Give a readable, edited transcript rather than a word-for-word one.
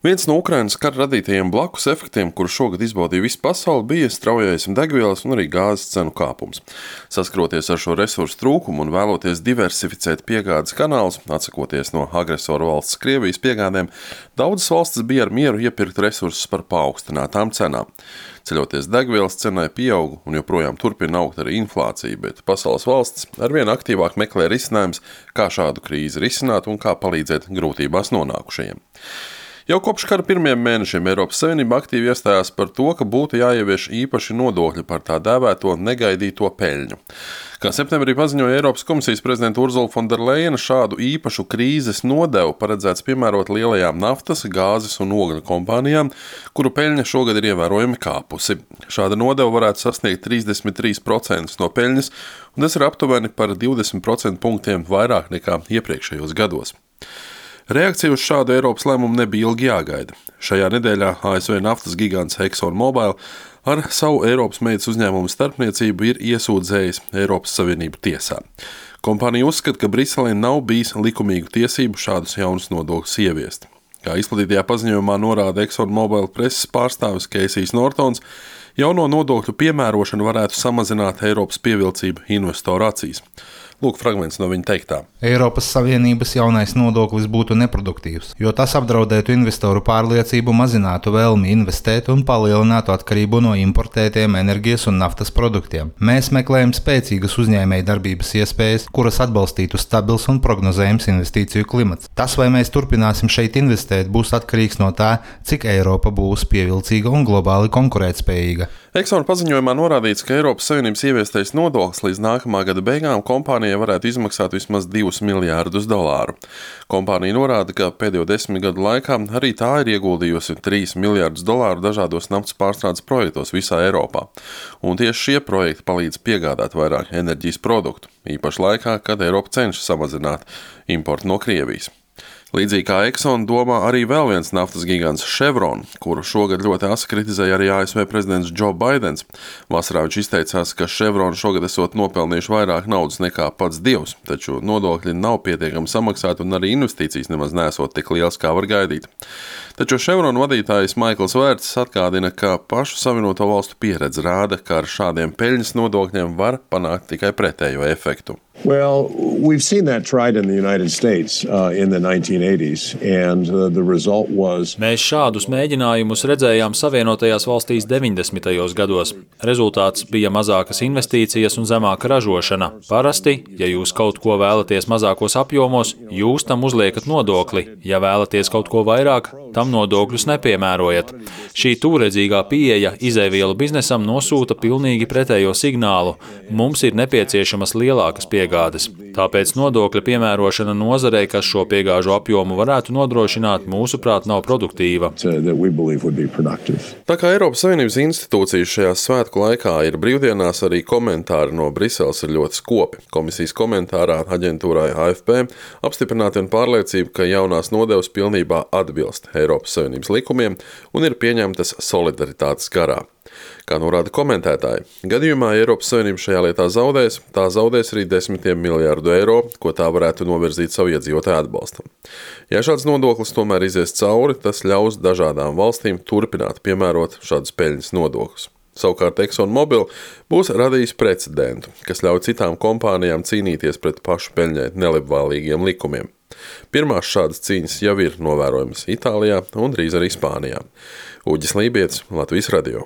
Viens no Ukrainas kara radītajiem blakus efektiem, kuru šogad izbaudīja visa pasaule, bija straujais degvielas un arī gāzes cenu kāpums. Saskaroties ar šo resursu trūkumu un vēloties diversificēt piegādes kanālus, atsakoties no agresoru valsts Krievijas piegādēm, daudzas valstis bija ar mieru iepirkt resursus par paaugstinātām cenām. Ceļoties degvielas cenai pieaug un joprojām turpina augt arī inflācija, bet pasaules valstis arvien aktīvāk meklē risinājumus, kā šādu krīzi risināt un kā palīdzēt grūtībās nonākušajiem. Jau kopš kara pirmajiem mēnešiem Eiropas Savienība aktīvi iestājās par to, ka būtu jāievieš īpaši nodokļi par tā dēvēto negaidīto peļņu. Kā septembrī paziņoja Eiropas komisijas prezidenta Ursula von der Leyena, šādu īpašu krīzes nodevu paredzēts piemērot lielajām naftas, gāzes un ogļu kompānijām, kuru peļņa šogad ir ievērojami kāpusi. Šāda nodeva varētu sasniegt 33% no peļņas, un tas ir aptuveni par 20% punktiem vairāk nekā iepriekšējos gados. Reakcija uz šādu Eiropas lēmumu nebija ilgi jāgaida. Šajā nedēļā ASV naftas gigants ExxonMobil ar savu Eiropas meitas uzņēmumu starpniecību ir iesūdzējis Eiropas Savienību tiesā. Kompānija uzskata, ka Briselē nav bijis likumīgu tiesību šādus jaunus nodokļus ieviest. Kā izplatītajā paziņojumā norāda ExxonMobil preses pārstāvis Keisijs Nortons, jauno nodokļu piemērošana varētu samazināt Eiropas pievilcību investoru acīs. Lūk, fragments no viņa teiktā. Eiropas Savienības jaunais nodoklis būtu neproduktīvs, jo tas apdraudētu investoru pārliecību, mazinātu vēlmi investēt un palielinātu atkarību no importētiem enerģijas un naftas produktiem. Mēs meklējam spēcīgas uzņēmēju darbības iespējas, kuras atbalstītu stabils un prognozējams investīciju klimats. Tas, vai mēs turpināsim šeit investēt, būs atkarīgs no tā, cik Eiropa būs pievilcīga un globāli konkurētspējīga. Exxon paziņojumā norādīts, ka Eiropas Savienības ieviestais nodoklis līdz nākamā gada beigām kompānijai varētu izmaksāt vismaz $2 miljārdus. Kompānija norāda, ka pēdējo 10 gadu laikā arī tā ir ieguldījusi $3 miljārdus dažādos naftas pārstrādes projektos visā Eiropā. Un tieši šie projekti palīdz piegādāt vairāk enerģijas produktu, īpaši laikā, kad Eiropa cenšas samazināt importu no Krievijas. Līdzīgi kā Exxon domā arī vēl viens naftas gigants Chevron, kuru šogad ļoti asi kritizēja arī ASV prezidents Joe Bidens. Vasarā viņš izteicās, ka Chevron šogad esot nopelnījuši vairāk naudas nekā pats Dievs, taču nodokļi nav pietiekami samaksāti un arī investīcijas nemaz nesot tik liels, kā var gaidīt. Taču Chevron vadītājs Maikls Vērts atgādina, ka pašu Savienoto valstu pieredze rāda, ka ar šādiem peļņas nodokļiem var panākt tikai pretējo efektu. Well, we've seen that tried in the United States in the 1980s, and the result was... Mēs šādus mēģinājumus redzējām Savienotajās valstīs 90. gados. Rezultāts bija mazākas investīcijas un zemāka ražošana. Parasti, ja jūs kaut ko vēlaties mazākos apjomos, jūs tam uzliekat nodokli. Ja vēlaties kaut ko vairāk, tam nodokļus nepiemērojat. Šī tūredzīgā pieeja izēvielu biznesam nosūta pilnīgi pretējo signālu. Mums ir nepieciešamas lielākas piegādes. Tāpēc nodokļa piemērošana nozarei, kas šo piegāžu apjomu varētu nodrošināt, mūsuprāt, nav produktīva. Tā kā Eiropas Savienības institūcijas šajā svētku laikā ir brīvdienās, arī komentāri no Briseles ir ļoti skopi. Komisijas komentārā aģentūrai AFP apstiprināta un pārliecība, ka jaunās nodevas pilnībā atbilst Eiropas Savienības likumiem un ir pieņemtas solidaritātes garā. Kā norāda komentētāji, gadījumā Eiropas Savienība šajā lietā zaudēs arī $10 miljārdu, ko tā varētu novirzīt savu iedzīvotāju atbalstam. Ja šāds nodoklis tomēr izies cauri, tas ļaus dažādām valstīm turpināt piemērot šādus peļņas nodokļus. Savukārt ExxonMobil būs radījis precedentu, kas ļauj citām kompānijām cīnīties pret pašu peļņai nelabvēlīgiem likumiem. Pirmās šādas cīņas jau ir novērojamas Itālijā un drīz arī Spānijā. Uģis Lībietis, Latvijas radio.